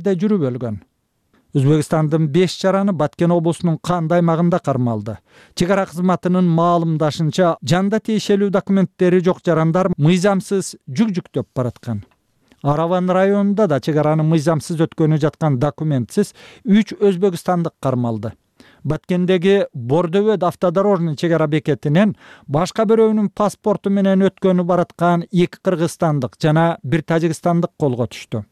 жүрүп өлгөн. Өзбекстандын 5 жараны Баткен облусунун Канды аймагында кармалды. Чек ара кызматынын маалымдашынча, жанда тиешелүү документтери жок жарандар мыйзамсыз жүк жүктөп бараткан. Араван районунда да чек араны мыйзамсыз өткөнү жаткан документсиз 3 өзбекстандык кармалды. Баткендеги Бордөвөт автодорожный чек ара бекетинен башка бирөөнүн паспорту менен өткөнү бараткан 2 кыргызстандык жана 1 тажикстандык колго түштү.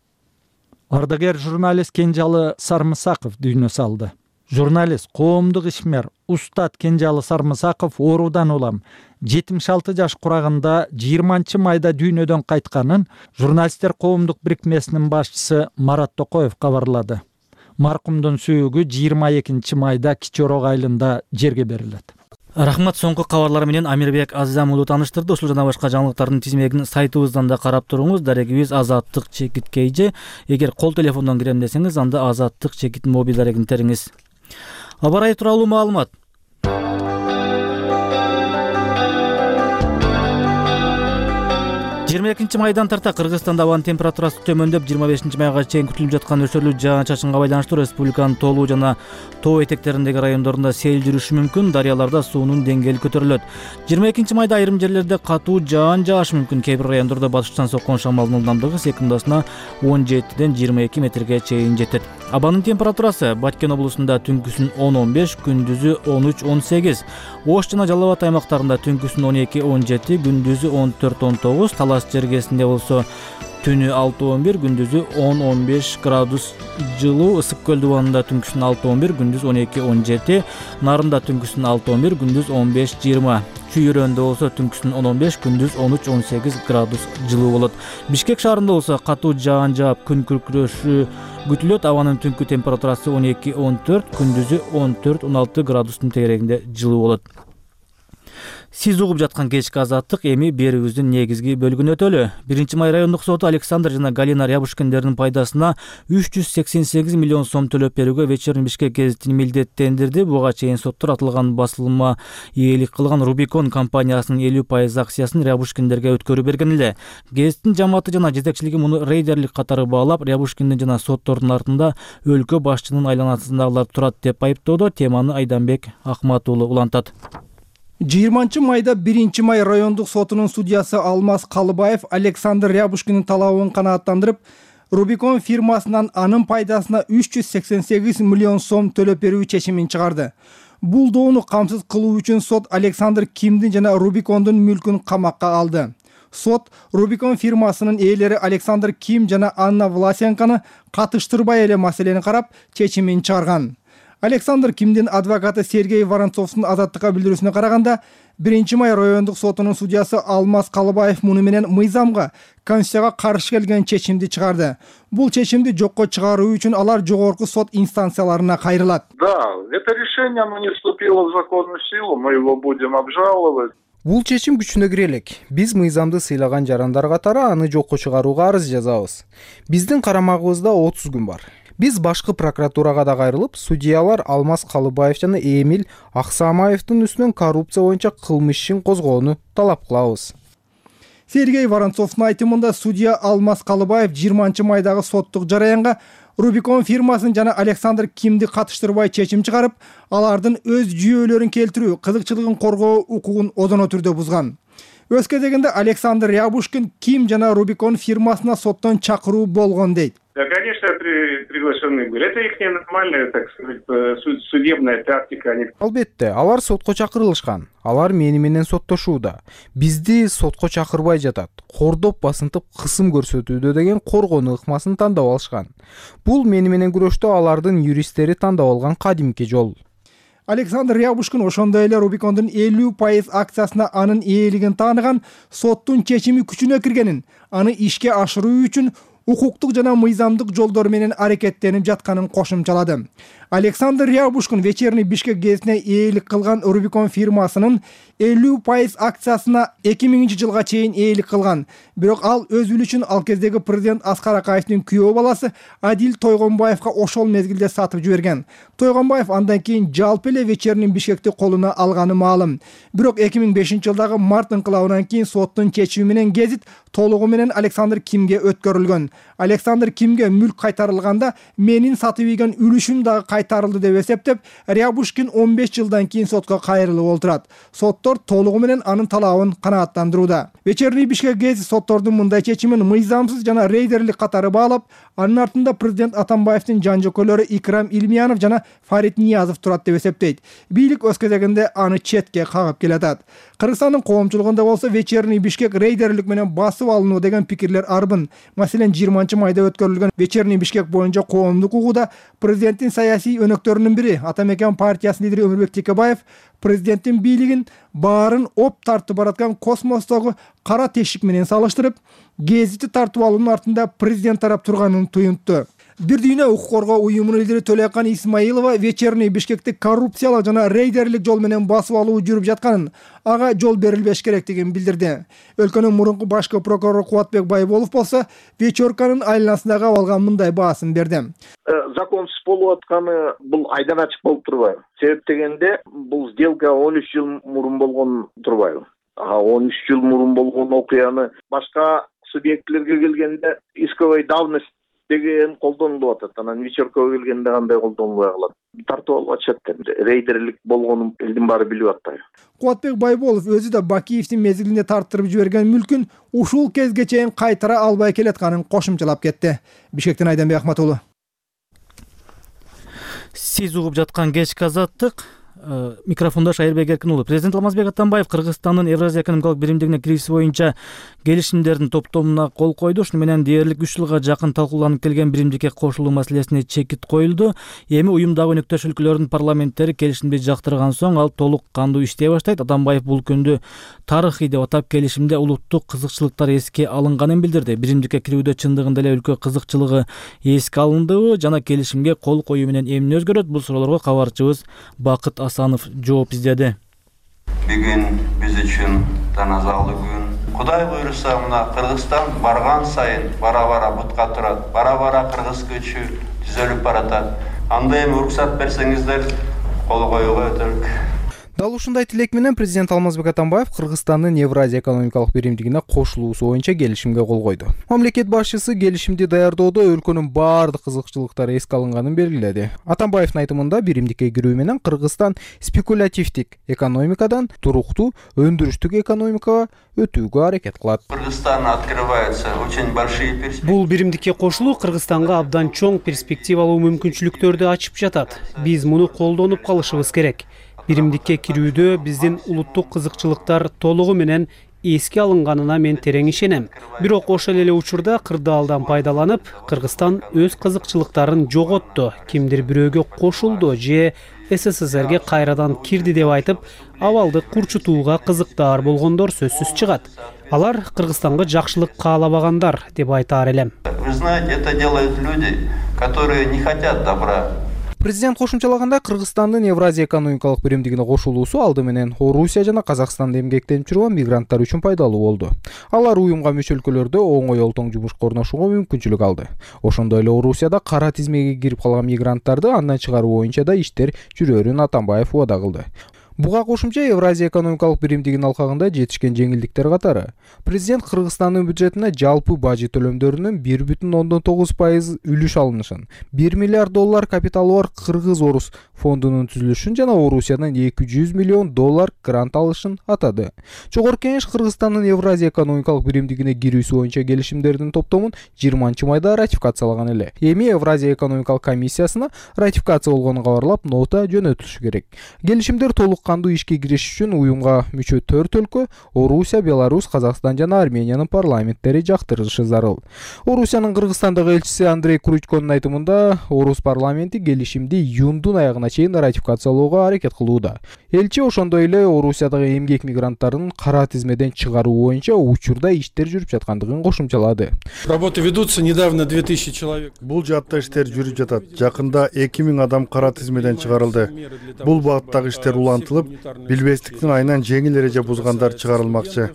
Ардагер журналист Кенжалы Сармысаков дүйнө салды. Журналист, коомдук ишмер, устат Кенжалы Сармысаков оорудан улам 76 жаш курагында 20-майда дүйнөдөн кайтканын журналисттер коомдук бирикмесинин башчысы Марат Токоев кабарлады. Маркумдун сүйүгү 22-майда Кичи Орок айылында жерге берилет. Рахмат, соңку кабарлар менен Амирбек Азизам уулу тааныштырды. Ушул жана башка жаңылыктардын тизмегин сайтыбыздан да карап туруңуз. Дарегибиз Азаттык чекит KG. Эгер кол телефондон кирем десеңиз, анда Азаттык чекит мобил дарегин териңиз. Аба ырайы тууралуу маалымат. 22-майдан тарта Кыргызстанда абанын температурасы төмөндөп 25-майга чейин күтүлүп жаткан өчөрлүү жаан-чачынга байланыштуу республиканын тоолуу жана тоо этектериндеги райондорунда сел жүрүшү мүмкүн, дарыяларда суунун деңгээли көтөрүлөт. 22-майда айрым жерлерде катуу жаан жаашы мүмкүн. Кээ бир райондордо батыштан соккон шамалдын ылдамдыгы секундасына 17-ден 22 метрге чейин жетет. Абанын температурасы Баткен облусунда түнкүсүн 10-15, күндүзү 13-18, Ош жана Жалал Абад аймактарында түнкүсүн 12-17, күндүзү 14-19, Талас жергесинде болсо түнү 6-11, күндүзү 10-15 градус жылуу, Ысык көл дубанында түнкүсүн 6-11, күндүз 12-17, Нарында түнкүсүн 6-11, күндүз 15-20. Чүйрөндө болсо түнкүсүн 10-15, күндүз 13-18 градус жылуу болот. Бишкек шаарында болсо катуу жаан жаап, күн күркүрөшү күтүлөт. Абанын түнкү температурасы 12-14, күндүзү 14-16 градустун тегерегинде жылуу болот. Сиз угуп жаткан кечки Азаттык, эми берүүбүздүн негизги бөлүгүнө өтөлү. 1-май райондук соту Александр жана Галина Рябушкиндердин пайдасына 388 миллион сом төлөп берүүгө Вечерний Бишкек гезитин милдеттендирди. Буга чейин соттор атылган басылымга ээлик кылган Рубикон компаниясынын 50% акциясын Рябушкиндерге өткөрүп берген эле. Гезиттин жамааты жана жетекчилиги муну рейдерлик катары баалап, Рябушкиндин жана соттордун артында өлкө башчынын айланасындагылар турат деп айыптоодо. Теманы Айданбек Акмат уулу улантат. 20-майда 1-май райондук сотунун судьясы Алмаз Калыбаев Александр Рябушкиндин талабын канааттандырып, Рубикон фирмасынан анын пайдасына 388 миллион сом төлөп берүү чечимин чыгарды. Бул доону камсыз кылуу үчүн сот Александр Кимдин жана Рубикондун мүлкүн камакка алды. Сот Рубикон фирмасынын ээлери Александр Ким жана Анна Власенканы катыштырбай эле маселени карап, чечимин чыгарган. Александр Кимдин адвокаты Сергей Воронцовдун азаттыкка билдирүүсүнө караганда, 1-май райондук сотунун судьясы Алмаз Калыбаев муну менен мыйзамга, Конституцияга каршы келген чечимди чыгарды. Бул чечимди жокко чыгаруу үчүн алар жогорку сот инстанцияларына кайрылат. Да, это решение, оно не вступило в законную силу, мы его будем обжаловать. Бул чечим күчүнө кире элек. Биз мыйзамды сыйлаган жарандар катары аны жокко чыгарууга арыз жазабыз. Биздин карамагыбызда 30 күн бар. Биз башкы прокуратурага да кайрылып, судьялар Алмаз Калыбаев жана Эмиль Аксамаевдин үстүнөн коррупция боюнча кылмыш ишин козгоону талап кылабыз. Сергей Воронцовдун айтымында судья Алмаз Калыбаев 20-майдагы соттук жараянга Рубикон фирмасын жана Александр Кимди катыштырбай чечим чыгарып, алардын өз жүйөлөрүн келтирүү, кызыкчылыгын коргоо укугун одоно түрдө бузган. Өз кезегинде Александр Рябушкин Ким жана Рубикон фирмасына соттон чакыруу болгон дейт. Да, конечно, приглашены были. Это их нормальная, так сказать, судебная тактика. Албетте, алар сотко чакырылышкан. Алар мени менен соттошууда. Бизди сотко чакырбай жатат. Кордоп, басынтып, кысым көрсөтүүдө деген коргонуу ыкмасын тандап алышкан. Бул мени менен күрөштө алардын юристтери тандап алган кадимки жол. Александр Рябушкин ошондой эле Рубикондун 50% акциясына анын ээлигин тааныган, соттун чечими күчүнө киргенин, аны ишке ашыруу үчүн укуктук жана мыйзамдык жолдор менен аракеттенип жатканын кошумчалады. Александр Рябушкин Вечерний Бишкек гезитине ээлик кылган Рубикон фирмасынын 50% акциясына 2000-жылга чейин ээлик кылган. Бирок ал өз үлүшүн ал кездеги президент Аскар Акаевдин күйөө баласы Адил Тойгонбаевга ошол мезгилде сатып жиберген. Тойгонбаев андан кийин жалпы эле Вечерний Бишкекти колуна алганы маалым. Бирок 2005-жылдагы март инкылабынан кийин соттун чечими менен гезит толугу менен Александр Кимге өткөрүлгөн. Александр Кимге мүлк кайтарылганда менин сатып ийген үлүшүм дагы кайтарылды деп эсептеп, Рябушкин 15 жылдан кийин сотко кайрылып отурат. Соттор толугу менен анын талабын канааттандырууда. Вечерний Бишкек гезити соттордун мындай чечимин мыйзамсыз жана рейдерлик катары баалап, анын артында президент Атамбаевдин жан жокөлөрү Икрам Илмиянов жана Фарид Ниязов турат деп эсептейт. Бийлик өз кезегинде аны четке кагып келатат. Кыргызстандын коомчулугунда болсо Вечерний Бишкек рейдерлик менен басып алынуу деген пикирлер арбын. Маселен, 20-майда өткөрүлгөн Вечерний Бишкек боюнча коомдук угууда президенттин саясий өнөктөрүнүн бири Атамекен партиясынын лидери Өмүрбек Текебаев президенттин бийлигин баарын оп тартып бараткан космостогу кара тешик менен салыштырып, гезити тартып алуунун артында президент тарап турганын туюнтту. Бир дүйнө укук коргоо уюмунун лидери Төлөкан Исмаилова Вечерний Бишкекти коррупциялык жана рейдерлик жол менен басып алуу жүрүп жатканын, ага жол берилбеш керектигин билдирди. Өлкөнүн мурунку башкы прокурору Кубатбек Байболов болсо вечерканын айланасындагы абалга мындай баасын берди. Законсуз болуп атканы бул айдан ачык болуп турбайбы? Себеп дегенде бул сделка 13 жыл мурун болгон турбайбы? 13 жыл мурун болгон окуяны башка субъектлерге келгенде исковой давность деген колдонулуп атат. Анан вечеркага келгенде кандай колдонулбай калат? Тартып алып атышат деп. Рейдерлик болгонун элдин баары билип атпайбы? Кубатбек Байболов өзү да Бакиевдин мезгилинде тартырып жиберген мүлкүн ушул кезге чейин кайтара албай келатканын кошумчалап кетти. Бишкектен Айданбек Ахматулу. Сиз угуп жаткан кечки азаттык. Микрофондо Шайырбек Эркин уулу. Президент Алмазбек Атамбаев Кыргызстандын Евразия экономикалык биримдигине кирүүсү боюнча келишимдердин топтомуна кол койду. Шуну менен дээрлик 3 жылга жакын талкууланып келген биримдикке кошулуу маселесине чекит коюлду. Эми уюмдагы өнөктөш өлкөлөрдүн парламенттери келишимди жактырган соң ал толук кандуу иштей баштайт. Атамбаев бул күндү тарыхый деп атап, келишимде улуттук кызыкчылыктар эске алынганын билдирди. Биримдикке кирүүдө чындыгында эле өлкө кызыкчылыгы эске алындыбы жана келишимге кол коюу менен эмне өзгөрөт? Бул суроолорго кабарчыбыз Бакыт Асанов жооп издеди. Бүгүн биз үчүн таназалуу күн. Кудай буйруса, мына Кыргызстан барган сайын бара-бара бутка турат, бара-бара кыргыз көчү түзөлүп баратат. Анда эми уруксат берсеңиздер, кол коюуга өтөлүк. Дал ушундай тилек менен президент Алмазбек Атамбаев Кыргызстандын Евразия экономикалык биримдигине кошулуусу боюнча келишимге кол койду. Мамлекет башчысы келишимди даярдоодо өлкөнүн баардык кызыкчылыктары эске алынганын белгиледи. Атамбаевдин айтымында биримдикке кирүү менен Кыргызстан спекулятивдик экономикадан туруктуу өндүрүштүк экономикага өтүүгө аракет кылат. Кыргызстан открывается очень большие перспективы. Бул биримдикке кошулуу Кыргызстанга абдан чоң перспективалуу мүмкүнчүлүктөрдү ачып жатат. Биз муну колдонуп калышыбыз керек. Биримдикке кирүүдө биздин улуттук кызыкчылыктар толугу менен эске алынганына мен терең ишенем. Бирок ошол эле учурда кырдаалдан пайдаланып, Кыргызстан өз кызыкчылыктарын жоготту, кимдир бирөөгө кошулду же СССРге кайрадан кирди деп айтып, абалды курчутууга кызыктаар болгондор сөзсүз чыгат. Алар Кыргызстанга жакшылык каалабагандар деп айтаар элем. Вы знаете, это делают люди, которые не хотят добра. Президент кошумчалаганда Кыргызстандын Евразия экономикалык биримдигине кошулуусу алды менен Орусия жана Казакстанда эмгектенип жүргөн мигранттар үчүн пайдалуу болду. Алар уюмга мүчө өлкөлөрдө оңой олтоң жумушка орношууга мүмкүнчүлүк алды. Ошондой эле Орусияда кара тизмеге кирип калган мигранттарды андан чыгаруу боюнча да иштер жүрөрүн Атамбаев убада кылды. Буга кошумча Евразия экономикалык биримдигинин алкагында жетишкен жеңилдиктер катары президент Кыргызстандын бюджетине жалпы бажы төлөмдөрүнүн 1,9% үлүш алынышын, $1 миллиард капиталы бар Кыргыз-Орус фондунун түзүлүшүн жана Орусиядан $200 миллион грант алышын атады. Жогорку Кеңеш Кыргызстандын Евразия экономикалык биримдигине кирүүсү боюнча келишимдердин топтомун 20-майда ратификациялаган эле. Эми Евразия экономикалык комиссиясына ратификация болгонун кабарлап, нота жөнөтүлүшү керек. Келишимдер толук кандуу ишке кириш үчүн уюмга мүчө 4 өлкө Орусия, Беларусь, Казакстан жана Армениянын парламенттери жактырышы зарыл. Орусиянын Кыргызстандагы элчиси Андрей Кручконун айтымында, Орус парламенти келишимди июндун аягына чейин ратификациялоого аракет кылууда. Элчи ошондой эле Орусиядагы эмгек мигранттарын кара тизмеден чыгаруу боюнча учурда иштер жүрүп жаткандыгын кошумчалады. Работы ведутся, недавно 2000 человек. Бул жаатта иштер жүрүп жатат. Жакында 2000 адам кара тизмеден чыгарылды. Бул багыттагы иштер улантылып, билбестиктин айынан жеңил эреже бузгандар чыгарылмакчы.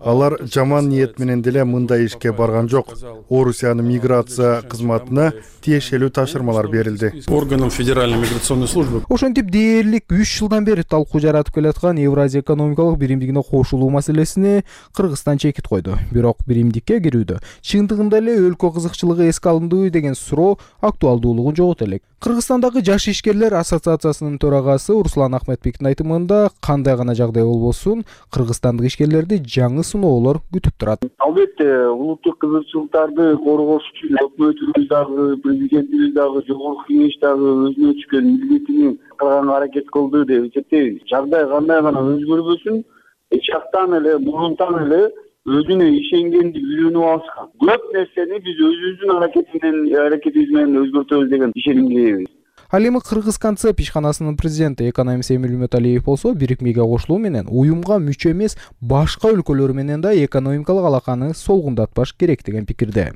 Алар жаман ниет менен деле мындай ишке барган жок. Орусиянын миграция кызматына тиешелүү тапшырмалар берилди. Органам Федеральной миграционной службы. Ошентип дээрлик 3 жылдан бери талкуу жаратып келаткан Евразия экономикалык биримдигине кошулуу маселесине Кыргызстан чекит койду. Бирок биримдикке кирүүдө чындыгында эле өлкө кызыкчылыгы эске алындыбы деген суроо актуалдуулугун жогото элек. Кыргызстандагы жаш ишкерлер ассоциациясынын төрагасы Руслан Ахметбектин айтымында кандай гана жагдай болбосун, кыргызстандык ишкерлерди жаңы сыноолор күтүп турат. Албетте, улуттук кызыкчылыктарды коргош үчүн өкмөтүбүз дагы, президентибиз дагы, жогорку кеңеш дагы өзүнө түшкөн милдетин кылганга аракет кылды деп эсептейбиз. Жагдай кандай гана өзгөрбөсүн, эч жактан эле, мурунтан эле өзүнө ишенгенди үйрөнүп алышкан. Көп нерсени биз өзүбүздүн аракетибиз менен өзгөртөбүз деген ишенимдейбиз. Ал эми Кыргыз концепт ишканасынын президенти экономист Эмил Үмөталиев болсо, бирикмеге кошулуу менен уюмга мүчө эмес башка өлкөлөр менен да экономикалык алаканы солгундатпаш керек деген пикирде.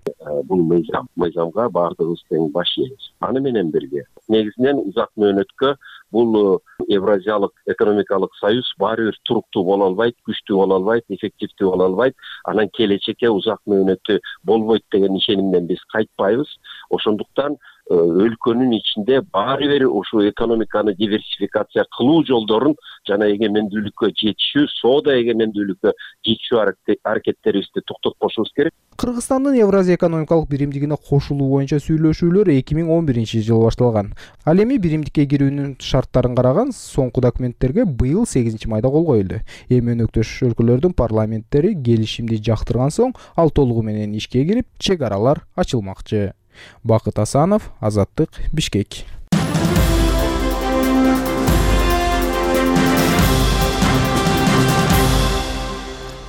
Бул мыйзамга баардыгыбыз тең баш ийебиз. Аны менен бирге негизинен узак мөөнөткө бул Евразиялык экономикалык союз баары бир туруктуу боло албайт, күчтүү боло албайт, эффективдүү боло албайт. Анан келечекке узак мөөнөттүү болбойт деген ишенимден биз кайтпайбыз. Ошондуктан өлкөнүн ичинде баары бир ушул экономиканы диверсификация кылуу жолдорун жана эгемендүүлүккө жетишүү, соода эгемендүүлүккө жетишүү аракеттерибизди токтотпошубуз керек. Кыргызстандын Евразия экономикалык биримдигине кошулуу боюнча сүйлөшүүлөр 2011-жылы башталган. Ал эми биримдикке кирүүнүн шарттарын караган соңку документтерге быйыл 8-майда кол коюлду. Эми өнөктөш өлкөлөрдүн парламенттери келишимди жактырган соң ал толугу менен ишке кирип, чек аралар ачылмакчы. Бакыт Асанов, Азаттык, Бишкек.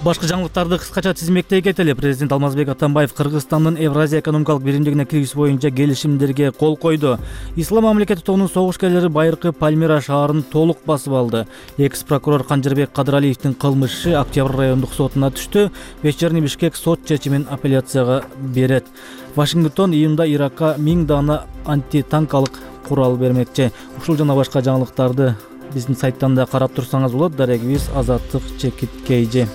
Башкы жаңылыктарды кыскача тизмектей кетели. Президент Алмазбек Атамбаев Кыргызстандын Евразия экономикалык биримдигине кирүүсү боюнча келишимдерге кол койду. Ислам мамлекети тобунун согушкерлери байыркы Пальмира шаарын толук басып алды. Экс-прокурор Канжырбек Кадыралиевдин кылмышы Октябрь райондук сотуна түштү. Вечерний Бишкек сот чечимин апелляцияга берет. Вашингтон июнда Иракка 1000 дана антитанкалык курал бермекчи. Ушул жана башка жаңылыктарды биздин сайттан да карап турсаңыз болот. Дарегибиз Азаттык _KG.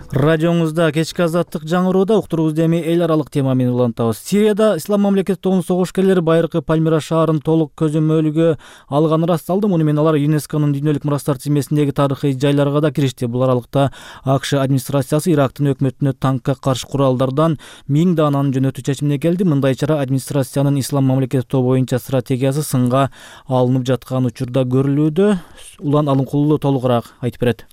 Радиоңузда кечки Азаттык жаңырууда уктуруубузду эми эл аралык тема менен улантабыз. Сирияда Ислам мамлекети тобунун согушкерлери байыркы Пальмира шаарын толук көзөмөлгө алганы ырасталды. Муну менен алар ЮНЕСКОнун дүйнөлүк мурастар тизмесиндеги тарыхый жайларга да киришти. Бул аралыкта АКШ администрациясы Ирактын өкмөтүнө танкка каршы куралдардан 1000 дананы жөнөтүү чечимине келди. Мындай чара администрациянын Ислам мамлекети тобу боюнча стратегиясы сынга алынып жаткан учурда көрүлүүдө. Улан Алынкулуу толугураак айтып берет.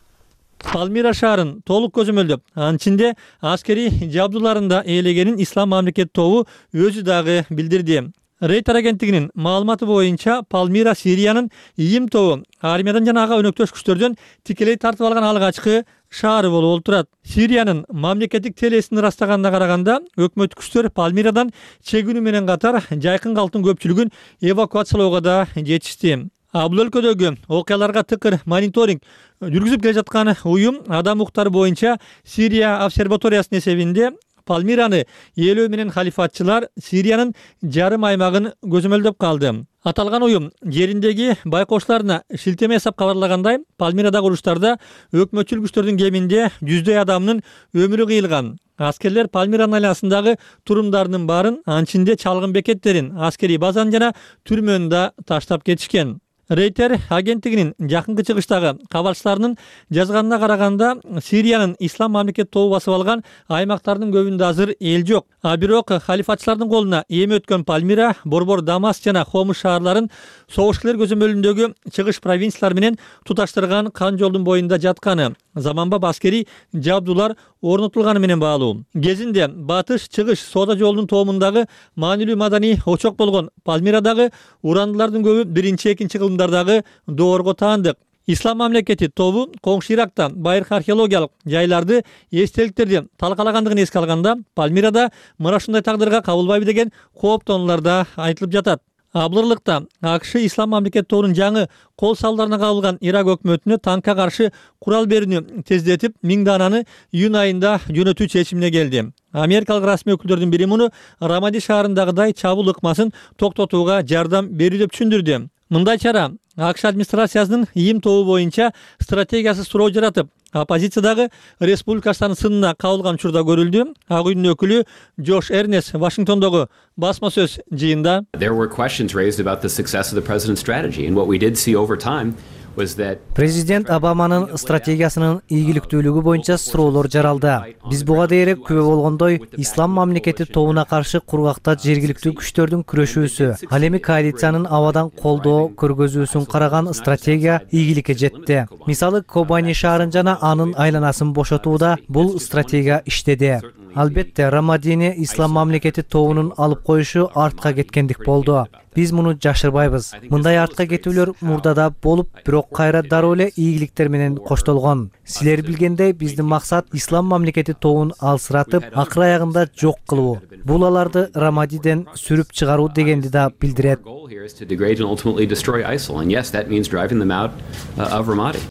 Пальмира шаарын толук көзөмөлдөп, анын ичинде аскери жабдууларында ээлегенин Ислам мамлекети тобу өзү дагы билдирди. Рейтер агенттигинин маалыматы боюнча Пальмира Сириянын ИИМ тобу армиядан жана ага өнөктөш күчтөрдөн тикелей тартып алган алгачкы шаары болуп турат. Сириянын мамлекеттик телесин ырастаганына караганда, өкмөт күчтөр Пальмирадан чегүүнү менен катар жайкын калктын көпчүлүгүн эвакуациялоого да жетишти. Бул өлкөдөгү окуяларга тыкыр мониторинг жүргүзүп келе жаткан уюм адам укуктары боюнча Сирия обсерваториясынын эсебинде Пальмираны ээлөө менен халифатчылар Сириянын жарым аймагын көзөмөлдөп калды. Аталган уюм жериндеги байкоочуларына шилтеме жасап кабарлагандай, Пальмирадагы уруштарда өкмөтчүл күчтөрдүн кеминде 100 адамдын өмүрү кыйылган. Аскерлер Пальмиранын айланасындагы турумдардын баарын, анын ичинде чалгын бекеттерин, аскерий базаны жана түрмөнү да таштап кетишкен. Рейтер агенттигинин жакынкы чыгыштагы кабарчыларынын жазганына караганда, Сириянын Ислам мамлекети тобу басып алган аймактардын көбүндө азыр эл жок. Бирок халифатчылардын колуна эми өткөн Пальмира, Борбор, Дамас жана Хомус шаарларын согушкерлер көзөмөлүндөгү чыгыш провинциялар менен туташтырган кан жолдун боюнда жатканы, заманбап аскерий жабдуулар орнотулганы менен баалуу. Кезинде батыш чыгыш соода жолунун тоомундагы маанилүү маданий очок болгон Пальмирадагы урандылардын көбү 1-2 кылымдардагы доорго таандык. Ислам мамлекети тобу коңшу Иракта байыркы археологиялык жайларды, эстеликтерди талкалагандыгын эске алганда, Пальмирада мына ушундай тагдырга кабылбайбы деген кооптонуулар да айтылып жатат. Абылырлыкта АКШ Ислам мамлекети тобунун жаңы кол салдарына кабылган Ирак өкмөтүнө танкка каршы курал берүүнү тездетип 1000 дананы июнь айында жөнөтүү чечимине келди. Америкалык расмий өкүлдөрдүн бири муну Рамади шаарындагыдай чабуул ыкмасын токтотууга жардам берүү деп түшүндүрдү. Мындай чара АКШ администрациясынын ийим тобу боюнча стратегиясы суроо жаратып, оппозициядагы республикачылардын сынына кабылган учурда көрүлдү. Ак үйдүн өкүлү Джош Эрнес Вашингтондогу басма сөз жыйында There were questions raised about the success of the president's strategy, and what we did see over time Президент Обаманын стратегиясынын ийгиликтүүлүгү боюнча суроолор жаралды. Биз буга дейре күбө болгондой, ислам мамлекети тобуна каршы кургакта жергиликтүү күчтөрдүн күрөшүүсү, ал эми коалициянын абадан колдоо көргөзүүсүн караган стратегия ийгиликке жетти. Мисалы, Кобани шаарын жана анын айланасын бошотууда бул стратегия иштеди. Албетте, Рамадини ислам мамлекети тобунун алып коюшу артка кеткендик болду. Биз муну жашырбайбыз. Мындай артка кетүүлөр мурдада болуп, бирок кайра дароо эле ийгиликтер менен коштолгон. Силер билгендей, биздин максат ислам мамлекети тобун алсыратып, акыр аягында жок кылуу. Бул аларды Рамадиден сүрүп чыгаруу дегенди да билдирет.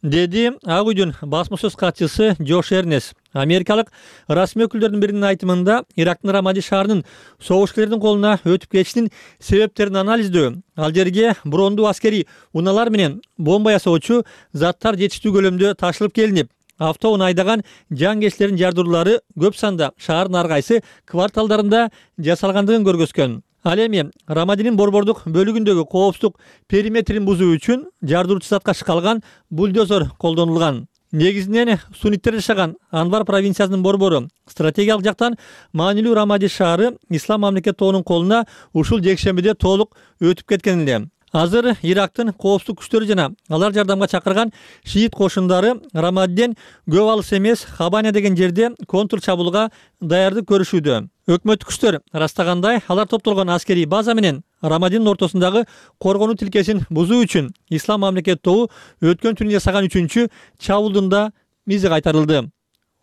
Деди Ак үйдүн басма сөз катчысы Джош Эрнес. Америкалык расмий өкүлдөрдүн биринин айтымында Ирактын Рамади шаарынын согушкерлердин колуна өтүп кетишинин себептерин анализдөө, ал жерге брондуу аскерий унаалар менен бомба ясоочу заттар жетиштүү көлөмдө ташылып келинип, автоунаа айдаган жангечилердин жардыруулары көп санда шаардын ар кайсы кварталдарында жасалгандыгын көргөзгөн. Ал эми Рамадинин борбордук бөлүгүндөгү коопсуздук периметрин бузуу үчүн жардыруучу затка шкалган бульдозер колдонулган. Негизинен сунниттер жашаган Анвар провинциясынын борбору стратегиялык жактан маанилүү Рамади шаары ислам мамлекет тобунун колуна ушул жекшембиде толук өтүп кеткен эле. Азыр Ирактын коопсуздук күчтөрү жана алар жардамга чакырган шиит кошундары Рамадиден көп алыс эмес Хабаня деген жерде контр чабуулга даярдык көрүшүүдө. Өкмөттүк күчтөр ырастагандай, алар топтолгон аскерий база менен Рамадинин ортосундагы коргонуу тилкесин бузуу үчүн ислам мамлекет тобу өткөн түнү жасаган 3-чү чабуулдун да мизи кайтарылды.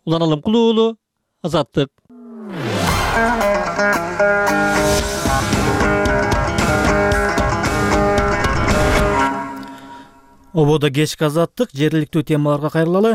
Улан Алымкулуу уулу, Азаттык. Ободо кечки Азаттык, жергиликтүү темаларга кайрылалы.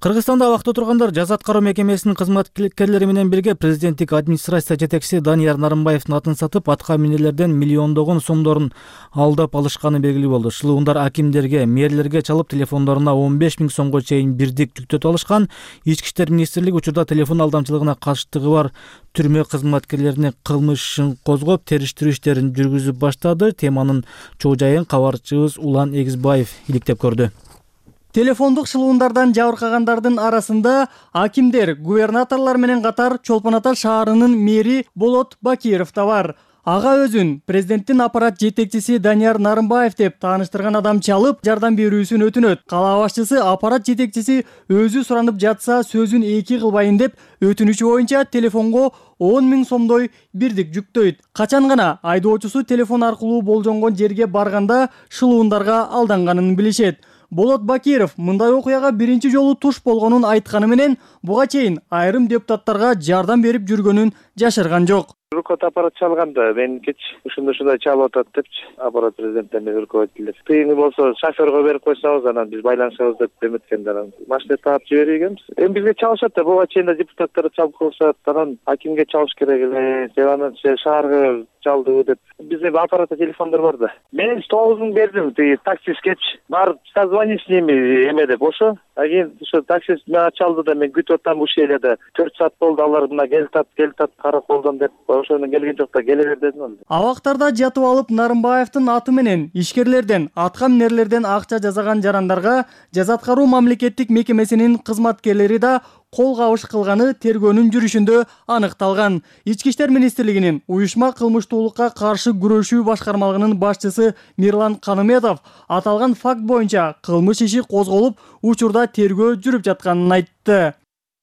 Кыргызстанда абакта тургандар жаза аткаруу мекемесинин кызматкерлери менен бирге президенттик администрация жетекчиси Данияр Нарымбаевдин атын сатып, атка минелерден миллиондогон сомдорун алдап алышканы белгилүү болду. Шылуундар акимдерге, мэрлерге чалып, телефондоруна 15 000 сомго чейин бирдик жүктөтүп алышкан. Ички иштер министрлиги учурда телефон алдамчылыгына катыштыгы бар түрмө кызматкерлерине кылмыш ишин козгоп, териштирүү иштерин жүргүзүп баштады. Теманын чоо жайын кабарчыбыз Улан Эгизбаев иликтеп көрдү. Телефондук шылуундардан жабыркагандардын арасында акимдер, губернаторлор менен катар Чолпон Ата шаарынын мэри Болот Бакиров да бар. Ага өзүн президенттин аппарат жетекчиси Данияр Нарымбаев деп тааныштырган адам чалып, жардам берүүсүн өтүнөт. Кала башчысы аппарат жетекчиси өзү суранып жатса сөзүн эки кылбайын деп өтүнүчү боюнча телефонго 10 000 сомдой бирдик жүктөйт. Качан гана айдоочусу телефон аркылуу болжонгон жерге барганда шылуундарга алданганын билишет. Болот Бакиров мындай окуяга биринчи жолу туш болгонун айтканы менен, буга чейин айрым депутаттарга жардам берип жүргөнүн жашырган жок. Руководитель аппарат чалганда мен кеч ушундай чалып атат депчи аппарат президенттен руководителдер. Тыйыны болсо шоферго берип койсоңуз, анан биз байланышабыз деп эметкенде анан машина таап жиберген. Эми бизге чалышат да, буга чейин да депутаттар чалып койсот, анан акимге чалыш керек эле, анан шаарга чалды деп. Бизде аппаратта телефондор бар да. Мен 9 000 бердим, таксистке барып созвонись с ними эме деп ошо. Кийин ошо таксист мага чалды да, мен күтүп атам ушул жерде 4 саат болду, алар мына келтат караколдон деп. Ошону келген жок да, келе бер дедим. Абактарда жатып алып Нарымбаевдин аты менен ишкерлерден, атка минерлерден акча жасаган жарандарга жаза аткаруу мамлекеттик мекемесинин кызматкерлери да кол кабыш кылганы тергөөнүн жүрүшүндө аныкталган. Ички иштер министрлигинин уюшма кылмыштуулукка каршы күрөшүү башкармалыгынын башчысы Мирлан Каныметов аталган факт боюнча кылмыш иши козголуп, учурда тергөө жүрүп жатканын айтты.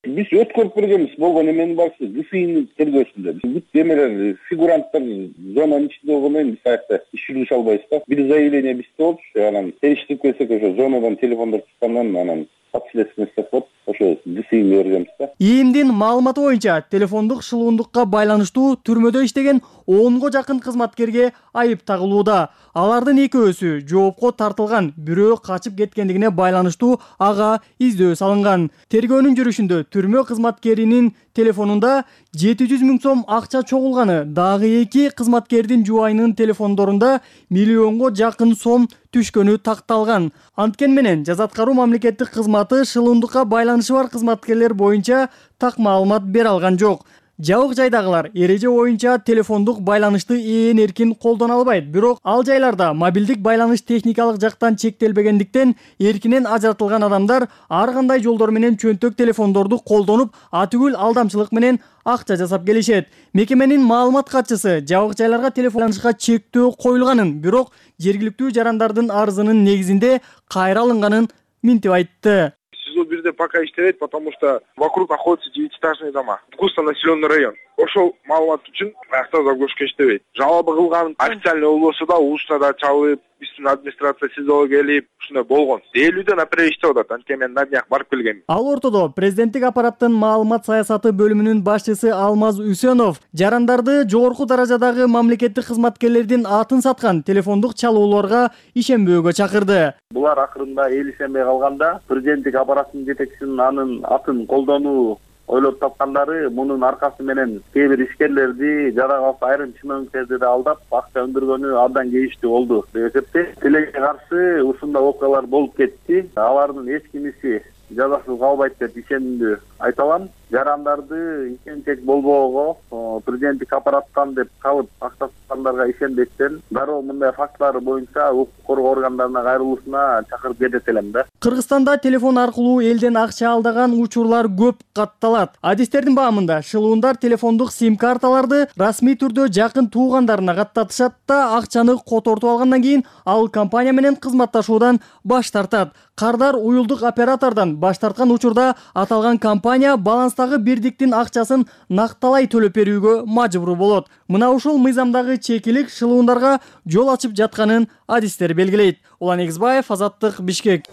Биз өткөрүп бергенбиз, болгон эменин барысы ГФИнин тергөөсүндө. Бүт эмелер, фигуранттар зонанын ичинде болгондон кийин биз аякта иш жүргүзө албайбыз да. Бир заявление бизде болчу, анан териштирип келсек ошо зонадан телефондор чыккандан анан подследственность тапып, ошо ГФИне бергенбиз да. ИИМдин маалыматы боюнча телефондук шылуундукка байланыштуу түрмөдө иштеген 10го жакын кызматкерге айып тагылууда. Алардын экөөсү жоопко тартылган, бирөө качып кеткендигине байланыштуу ага издөө салынган. Тергөөнүн жүрүшүндө түрмө кызматкеринин телефонунда 700 000 сом акча чогулганы, дагы 2 кызматкердин жубайынын телефондорунда миллионго жакын сом түшкөнү такталган. Анткен менен жаза аткаруу мамлекеттик кызматы шылуундукка байланышы бар кызматкерлер боюнча так маалымат бере алган жок. Жабык жайдагылар эреже боюнча телефондук байланышты эркин колдоно албайт, бирок ал жайларда мобилдик байланыш техникалык жактан чектелбегендиктен эркинен ажыратылган адамдар ар кандай жолдор менен чөнтөк телефондорду колдонуп, атүгүл алдамчылык менен акча жасап келишет. Мекеменин маалымат катчысы жабык жайларга телефон байланышка чектөө коюлганын, бирок жергиликтүү жарандардын арызынын негизинде кайра алынганын минтип айтты. СИЗО-1 пока иштебейт, потому что вокруг находятся 9-этажные дома. Густонаселенный район. Ошол маалымат үчүн аякта загрузка иштебейт. Жалоба кылган официальный болбосо да ушуна да чалып, биздин администрация СИЗОго келип, ушундай болгон. Дээлүүдө например иштеп атат. Анткени мен на днях барып келгем. Ал ортодо президенттик аппараттын маалымат саясаты бөлүмүнүн башчысы Алмаз Үсөнов жарандарды жогорку даражадагы мамлекеттик кызматкерлердин атын саткан телефондук чалууларга ишенбөөгө чакырды. Булар акырында эл ишенбей калганда президенттик аппараттын жетекчисинин анын атын колдонуу ойлоп тапкандары мунун аркасы менен кээ бир ишкерлерди жада калса айрым чыноонктерди да алдап акча өндүргөнү абдан кейиштүү болду деп эсептейт. Тилекке каршы ушундай окуялар болуп кетти. Алардын эч кимиси жазасыз калбайт деп ишендүү айта алам. Жарандарды ишенчек болбоого президенттик аппараттан деп калып акча саткандарга ишенбестен дароо мындай фактылар боюнча укук коргоо органдарына кайрылуусуна чакырып кетет элем да. Кыргызстанда телефон аркылуу элден акча алдаган учурлар көп катталат. Адистердин баамында шылуундар телефондук сим-карталарды расмий түрдө жакын туугандарына каттатышат да акчаны котортуп алгандан кийин ал компания менен кызматташуудан баш тартат. Кардар уюлдук оператордон баш тарткан учурда аталган компания баланстагы бирдиктин акчасын накталай төлөп берүүгө мажбур болот. Мына ушул мыйзамдагы чекилик шылуундарга жол ачып жатканын адистер белгилейт. Улан Эгизбаев, Азаттык, Бишкек.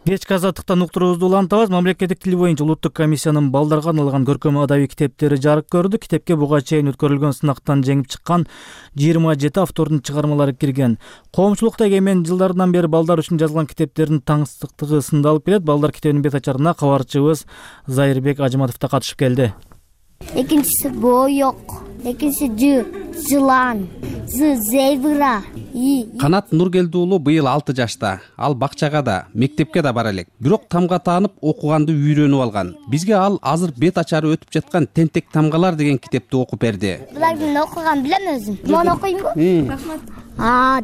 Кечки азаттыктан уктуруубузду улантабыз. Мамлекеттик тил боюнча улуттук комиссиянын балдарга арналган көркөм адабий китептери жарык көрдү. Китепке буга чейин өткөрүлгөн сынактан жеңип чыккан 27 автордун чыгармалары кирген. Коомчулукта эген жылдардан бери балдар үчүн жазылган китептердин таңсыздыктыгы сындалып келет. Балдар китебинин бет ачарына кабарчыбыз Зайырбек Ажыматов да катышып келди. Экинчиси боёк, экинчиси жылан, зебра. Канат Нургелди уулу быйыл 6 жашта. Ал бакчага да, мектепке да бара элек. Бирок тамга таанып окуганды үйрөнүп алган. Бизге ал азыр бет ачары өтүп жаткан Тентек тамгалар деген китепти окуп берди. Булардын окуган билем өзүм. Муну окуймунбу? Рахмат.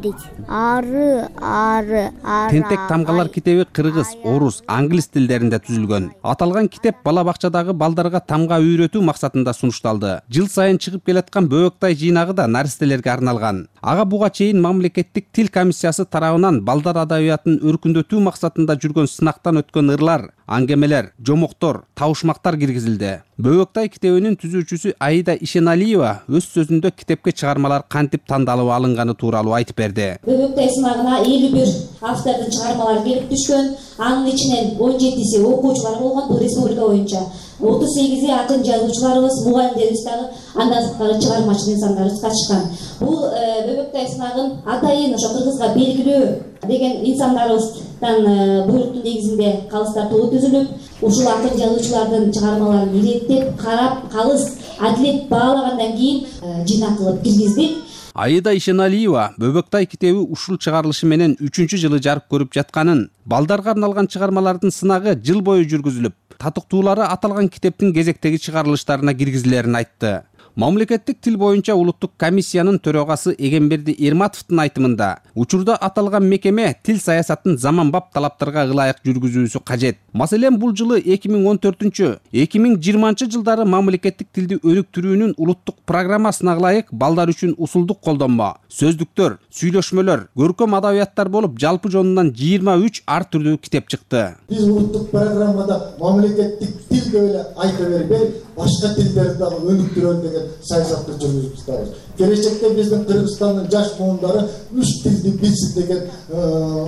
Дейт. Ары. Тентек тамгалар китеби кыргыз, орус, англис тилдеринде түзүлгөн. Аталган китеп бала бакчадагы балдарга тамга үйрөтүү максатында сунушталды. Жыл сайын чыгып келаткан Бөөктай жыйнагы да наристелерге арналган. Ага буга чейин мамлекеттик тил комиссиясы тарабынан балдар адабиятын өркүндөтүү максатында жүргөн сынактан өткөн ырлар, аңгемелер, жомоктор, табышмактар киргизилди. Бөөктай китебинин түзүүчүсү Аида Ишеналиева өз сөзүндө китепке чыгармалар кантип тандалып алынганы тууралуу айтып берди. Бөөктай сынагына 51 автордун чыгармалары келип түшкөн. Анын ичинен 17си окуучулар болгон, бул республика боюнча. 38 акын жазуучуларыбыз, мугалимдерибиз дагы андан сырткары чыгармачы инсандарыбыз катышкан. Бул Бөөктай сынагын атайын ошо кыргызга белгилүү деген инсандарыбыздан буйруктун негизинде калыс тартуу түзүлүп, ушул акын жазуучулардын чыгармаларын иреттеп, карап, калыс адилет баалагандан кийин жыйнак кылып киргиздик. Аида Ишеналиева Бөөктай китеби ушул чыгарылышы менен 3-чү жылы жарык көрүп жатканын, балдарга арналган чыгармалардын сынагы жыл бою жүргүзүлүп, татыктуулары аталган китептин кезектеги чыгарылыштарына киргизилерин айтты. Мамлекеттик тил боюнча улуттук комиссиянын төрагасы Эгемберди Эрматовдун айтымында, учурда аталган мекеме тил саясатын заманбап талаптарга ылайык жүргүзүүсү кажет. Маселен, бул жылы 2014-2020 жылдары мамлекеттик тилди өнүктүрүүнүн улуттук программасына ылайык балдар үчүн усулдук колдонмо, сөздүктөр, сүйлөшмөлөр, көркөм адабияттар болуп, жалпы жонунан 23 ар түрдүү китеп чыкты. Биз улуттук программада мамлекеттик тил деп эле айта бербей, башка тилдерди дагы өнүктүрөлү деген саясатты жүргүзүп жатабыз. Келечекте биздин Кыргызстандын жаш буюмдары 3 тилди билсин деген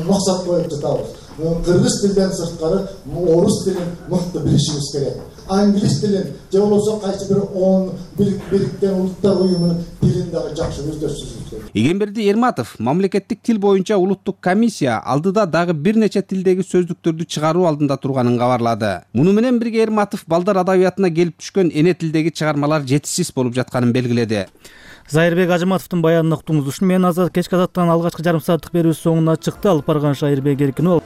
максат коюп жатабыз. Кыргыз тилден сырткары орус тилин мыкты билишибиз керек. англис тилин же болбосо кайсы бир ООН Бириккен Улуттар уюмунун тилин дагы жакшы өздөштүрүшү. Игемберди Эрматов мамлекеттик тил боюнча улуттук комиссия алдыда дагы бир нече тилдеги сөздүктөрдү чыгаруу алдында турганын кабарлады. Муну менен бирге Эрматов балдар адабиятына келип түшкөн эне тилдеги чыгармалар жетишсиз болуп жатканын белгиледи. Зайырбек Ажыматовдун баянын уктуңуз. Ушуну менен азат кечки азаттан алгачкы жарым сааттык берүүбүз соңуна чыкты. Алып барган Шайырбек Эркинов.